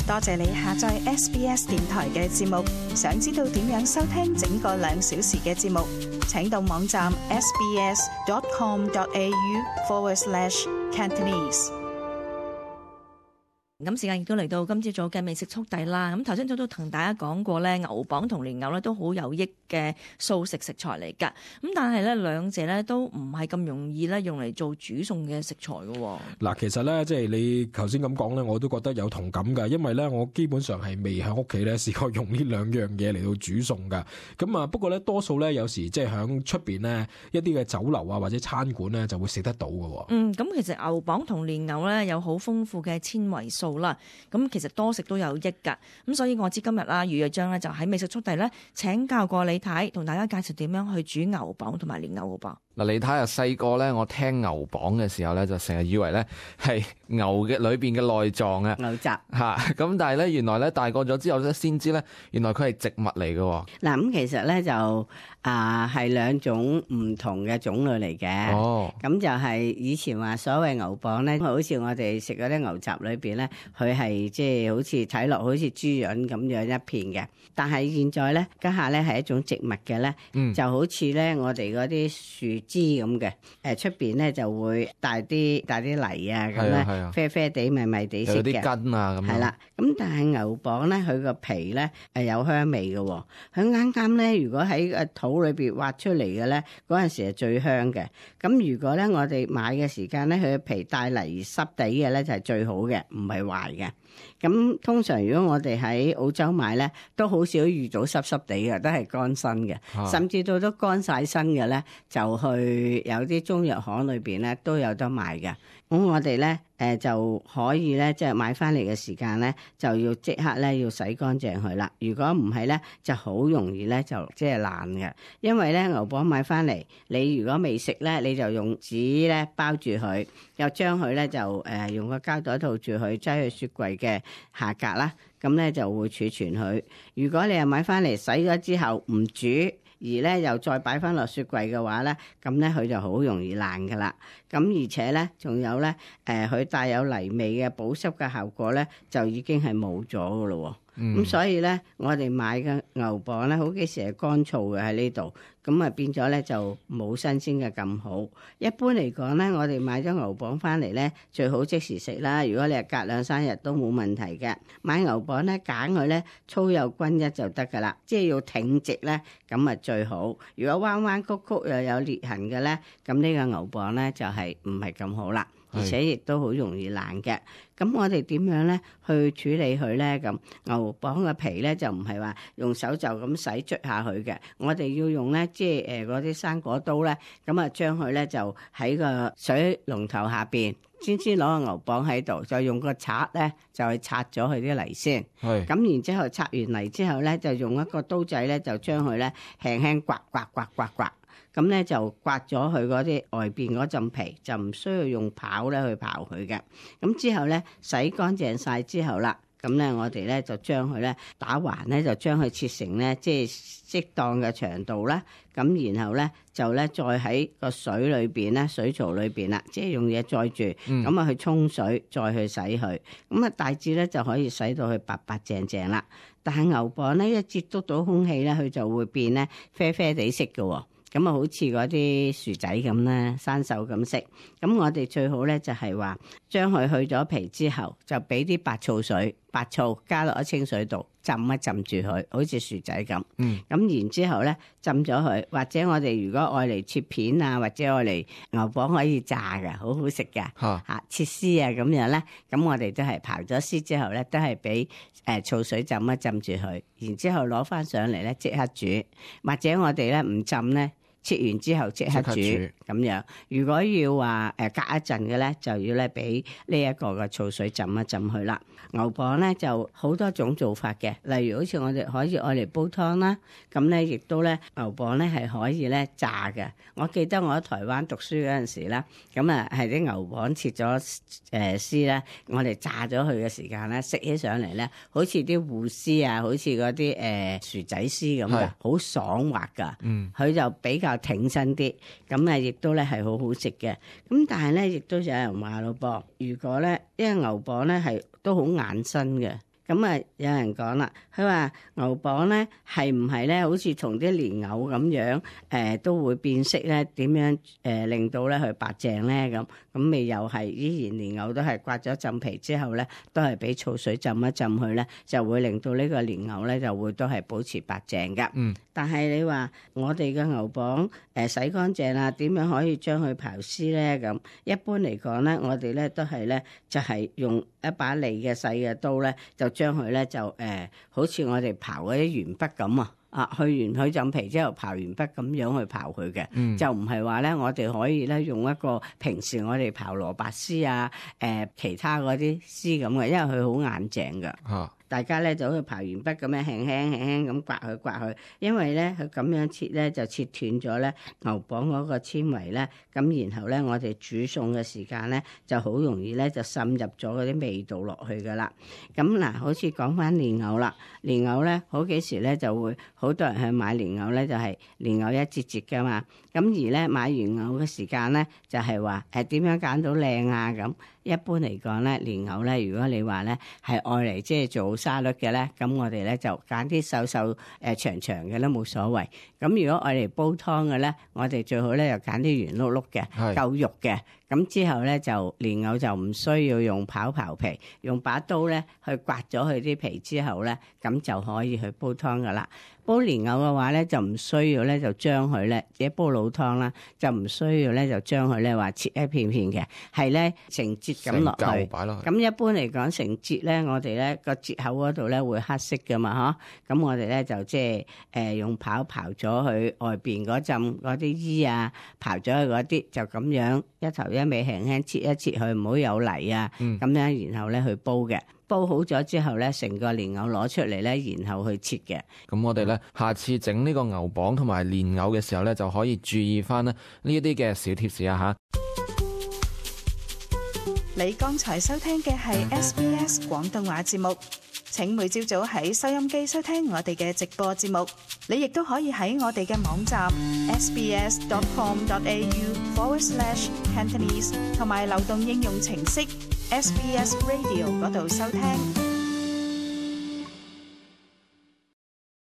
多謝你下載 SBS 電台嘅節目。想知道點樣收聽整個2小時嘅節目，請到網站 sbs.com.au/Cantonese。咁時間亦都嚟到今朝早嘅美食速遞啦。咁頭先早都同大家講過咧，牛蒡同蓮藕咧都好有益嘅素食食材嚟㗎。咁但係咧兩者咧都唔係咁容易咧用嚟做煮餸嘅食材㗎喎。嗱，其實咧即係你頭先咁講咧，我都覺得有同感㗎，因為咧我基本上係未喺屋企咧試過用呢兩樣嘢嚟到煮餸㗎。咁啊不過咧多數咧有時即係喺出邊咧一啲嘅酒樓啊或者餐館咧就會食得到㗎喎。咁其實牛蒡同蓮藕咧有好豐富嘅纖維素啦，咁其實多食都有益㗎。咁所以我知今日啦，余若章咧就喺美食速遞咧請教過李太，同大家介紹點樣去煮牛蒡同埋蓮藕㗎噃。嗱，李太啊，細個咧，我聽牛蒡嘅時候咧，就成日以為咧係牛嘅裏邊嘅內臟啊，牛雜嚇。咁但係咧，原來咧大個咗之後咧，先知咧，原來佢係植物嚟嘅。嗱，咁其實咧就係兩種唔同嘅種類嚟嘅。哦，咁就係以前話所謂牛蒡咧，好似我哋食嗰啲牛雜裏邊咧，佢係即係好似睇落好似豬潤咁樣一片嘅。但係現在咧，家下咧係一種植物嘅咧，就好似咧我哋嗰啲樹枝咁嘅，出邊咧就會帶啲泥啊咁咧，啡啡地、米米地色嘅，有啲根啊咁。係啦，咁但係牛蒡咧，佢個皮咧有香味嘅喎，佢啱啱咧，如果喺個土裏邊挖出嚟嘅咧，嗰陣時係最香嘅。咁如果咧我哋買嘅時間咧，佢嘅皮帶泥濕地嘅咧就係最好嘅，唔係壞嘅。咁通常如果我哋喺澳洲買咧，都好少遇到濕濕地嘅，都係乾身嘅，甚至到都乾晒身嘅咧，就去有啲中藥行裏邊咧都有得賣嘅。咁我哋咧就可以咧，即係買翻嚟嘅時間咧，就要即刻咧要洗乾淨佢啦。如果唔係咧，就好容易咧就即係爛嘅。因為咧牛蒡買翻嚟，你如果未食咧，你就用紙咧包住佢，又將佢咧就用個膠袋套住佢，擠去雪櫃嘅下格啦。咁咧就會儲存佢。如果你係買翻嚟洗咗之後唔煮，而咧又再擺翻落雪櫃嘅話咧，咁咧佢就好容易爛噶啦。咁而且咧仲有咧，佢帶有泥味嘅保濕嘅效果咧，就已經係冇咗噶咯。咁所以咧，我哋買嘅牛蒡咧，好幾時係乾燥嘅喺呢度，咁啊變咗咧就冇新鮮嘅咁好。一般嚟講咧，我哋買咗牛蒡翻嚟咧，最好即時食啦。如果你係隔2-3日都冇問題嘅。買牛蒡咧，揀佢咧粗幼均一就得噶啦，即係要挺直咧，咁啊最好。如果彎彎曲曲又有裂痕嘅咧，咁呢個牛蒡咧就係唔係咁好啦。而且亦都好容易爛嘅，咁我哋點樣咧去處理佢咧？咁牛蒡嘅皮咧就唔係話用手就咁洗捽下佢嘅，我哋要用咧即係嗰啲生果刀咧，咁啊將佢咧就喺個水龍頭下邊，先攞個牛蒡喺度，就用個刷咧就去刷咗佢啲泥先。係咁，然之後刷完泥之後咧，就用一個刀仔咧就將佢咧輕輕刮。咁咧就刮咗佢嗰啲外邊嗰陣皮，就唔需要用刨咧去刨佢嘅。咁之後咧洗乾淨晒之後啦，咁咧我哋咧就將佢咧打橫咧，就將佢切成咧即係適當嘅長度啦。咁然後咧就咧再喺個水裏邊咧，水槽裏邊啦，即係用嘢載住，咁啊去沖水，再去洗佢。咁啊大致咧就可以洗到佢白白淨淨啦。但係牛蒡咧一接觸到空氣咧，佢就會變咧啡啡地色嘅喎。咁啊，好似嗰啲薯仔咁咧，生鏽咁色。咁我哋最好咧就係話，將佢去咗皮之後，就俾啲白醋加落喺清水度浸一浸住佢，好似薯仔咁。咁然之後咧浸咗佢，或者我哋如果愛嚟切片啊，或者愛嚟牛蒡可以炸嘅，好好食嘅。嚇切絲啊咁樣咧，咁我哋都係刨咗絲之後咧，都係俾醋水浸一浸住佢，然之後攞翻上嚟咧即刻煮，或者我哋咧唔浸咧。切完之後即刻煮咁樣。如果要話隔一陣嘅咧，就要咧俾呢一個嘅醋水浸一浸佢啦。牛蒡咧就好多種做法嘅，例如好似我哋可以愛嚟煲湯啦，咁咧亦都咧牛蒡咧係可以咧炸嘅。我記得我喺台灣讀書嗰陣時咧，咁啊係啲牛蒡切咗絲咧，我哋炸咗佢嘅時間咧，食起上嚟咧，好似啲芋絲啊，好似嗰啲薯仔絲咁嘅，好爽滑噶。佢就比較挺身啲，咁啊亦都咧係好好食嘅。咁但係咧亦都有人話咯噃，如果咧因為牛蒡咧係都好硬身嘅，咁啊，有人講啦，佢話牛蒡咧係唔係咧，好似同啲蓮藕咁樣，都會變色咧？點樣令到咧佢白淨咧？咁未又係依然蓮藕都係刮咗浸皮之後咧，都係俾醋水浸一浸佢咧，就會令到呢個蓮藕咧就會都係保持白淨噶。但係你話我哋嘅牛蒡洗乾淨啦，點樣可以將佢刨絲咧？咁一般嚟講咧，我哋咧都係咧就係用一把利嘅細嘅刀咧，就將佢咧就好似我哋刨嗰啲鉛筆咁去完佢浸皮之後刨鉛筆咁樣去刨佢嘅，就唔係話咧我哋可以咧用一個平時我哋刨蘿蔔絲啊其他嗰啲絲咁嘅，因為佢好硬淨噶。大家咧就好似刨鉛筆咁樣輕輕咁刮佢，因為咧佢咁樣切咧就切斷咗咧牛蒡嗰個纖維咧，咁然後咧我哋煮餸嘅時間咧就好容易咧就滲入咗嗰啲味道落去噶啦。咁嗱，好似講翻蓮藕啦，蓮藕咧好幾時咧就會好多人去買蓮藕咧，就係蓮藕一節節噶嘛。咁而咧買完藕嘅時間咧就係話點樣揀到靚啊咁。一般嚟講咧，蓮藕咧，如果你話咧係愛嚟即係做沙律嘅咧，咁我哋咧就揀啲瘦瘦長長嘅都冇所謂。咁如果愛嚟煲湯嘅咧，我哋最好咧就揀啲圓碌碌嘅，夠肉嘅。咁之後咧就蓮藕就唔需要用刨皮，用把刀咧去刮咗佢啲皮之後咧，咁就可以去煲湯噶啦。煲蓮藕嘅話咧，就唔需要咧就將佢咧，自己煲老湯啦，就唔需要咧就將佢咧話切一片片嘅，係咧成節咁落去。咁一般嚟講，成節咧，我哋咧個節口嗰度咧會黑色噶嘛，嗬。咁我哋咧就即係用刨咗佢外邊嗰陣嗰啲衣啊，刨咗佢嗰啲，就咁樣一頭一尾輕輕切一切佢，唔好有泥啊。咁樣然後咧去煲嘅。煲好咗之後咧，成個蓮藕攞出嚟咧，然後去切嘅。咁我哋咧下次整呢個牛蒡同埋蓮藕嘅時候咧，就可以注意翻呢一啲嘅小貼士啊嚇。你剛才收聽嘅係 SBS 廣東話節目。請每朝早喺收音機收聽我哋嘅直播節目。你亦都可以喺我哋嘅網站 sbs.com.au/Cantonese 同埋流動應用程式SBS Radio 嗰度收聽。